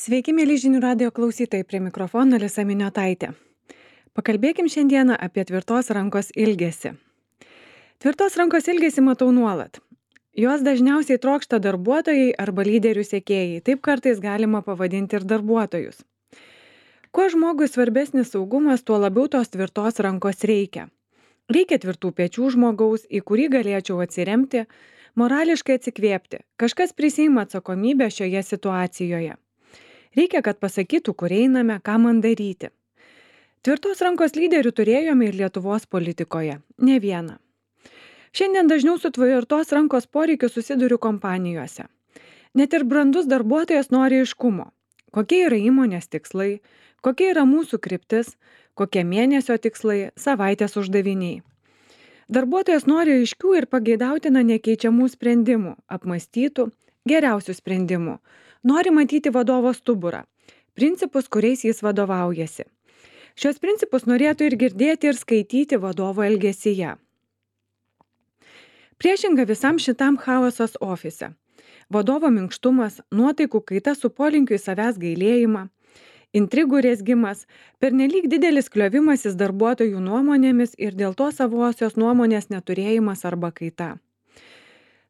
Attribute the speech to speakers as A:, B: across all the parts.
A: Sveiki, mėly žinių radio klausytojai, prie mikrofono Alisa Miniotaitė. Pakalbėkim šiandieną apie tvirtos rankos ilgesį. Tvirtos rankos ilgesį matau nuolat. Jos dažniausiai trokšta darbuotojai arba lyderių sekėjai, taip kartais galima pavadinti ir darbuotojus. Kuo žmogui svarbesnis saugumas, tuo labiau tos tvirtos rankos reikia. Reikia tvirtų pečių žmogaus, į kurį galėčiau atsiremti, morališkai atsikvėpti. Kažkas prisiima atsakomybę šioje situacijoje. Reikia, kad pasakytų, kur einame, ką man daryti. Tvirtos rankos lyderių turėjome ir Lietuvos politikoje, ne vieną. Šiandien dažniau su tvirtos rankos poreikiu susiduriu kompanijose. Net ir brandus darbuotojas nori aiškumo. Kokie yra įmonės tikslai, kokia yra mūsų kryptis, kokie mėnesio tikslai, savaitės uždaviniai. Darbuotojas nori aiškių ir pageidautina nekeičiamų sprendimų, apmąstytų, geriausių sprendimų. Nori matyti vadovo stuburą, principus, kuriais jis vadovaujasi. Šios principus norėtų ir girdėti, ir skaityti vadovo elgesyje. Priešinga visam šitam chaosas ofise. Vadovo minkštumas, nuotaikų kaita su polinkiu į savęs gailėjimą, intrigų rezgimas, pernelyg didelis kliovimasis darbuotojų nuomonėmis ir dėl to savosios nuomonės neturėjimas arba kaita.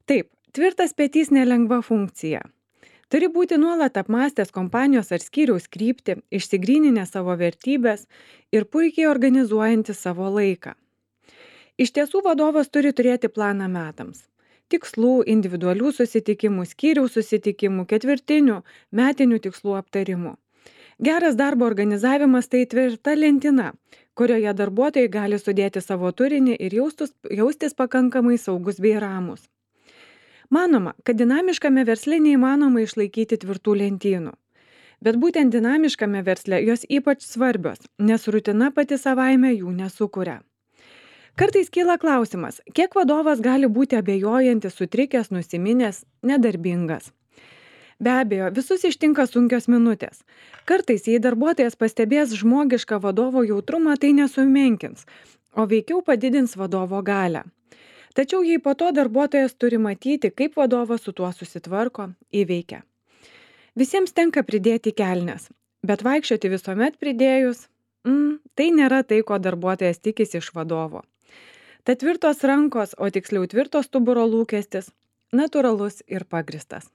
A: Taip, tvirtas petys nelengva funkcija. Turi būti nuolat apmąstęs kompanijos ar skyriaus kryptį, išsigryninę savo vertybės ir puikiai organizuojanti savo laiką. Iš tiesų vadovas turi turėti planą metams. Tikslų, individualių susitikimų, skyriaus susitikimų, ketvirtinių, metinių tikslų aptarimų. Geras darbo organizavimas tai tvirta lentina, kurioje darbuotojai gali sudėti savo turinį ir jaustis pakankamai saugus bei ramus. Manoma, kad dinamiškame versle neįmanoma išlaikyti tvirtų lentynų. Bet būtent dinamiškame versle jos ypač svarbios, nes rutina pati savaime jų nesukuria. Kartais kyla klausimas, kiek vadovas gali būti abejojantis, sutrikęs, nusiminęs, nedarbingas. Be abejo, visus ištinka sunkios minutės. Kartais, jei darbuotojas pastebės žmogišką vadovo jautrumą, tai nesumenkins, o veikiau padidins vadovo galią. Tačiau jei po to darbuotojas turi matyti, kaip vadovas su tuo susitvarko, įveikia. Visiems tenka pridėti kelnes, bet vaikščioti visuomet pridėjus, tai nėra tai, ko darbuotojas tikisi iš vadovo. Tad tvirtos rankos, o tiksliau tvirto stuburo lūkestis, natūralus ir pagristas.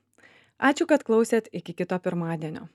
A: Ačiū, kad klausėt, iki kito pirmadienio.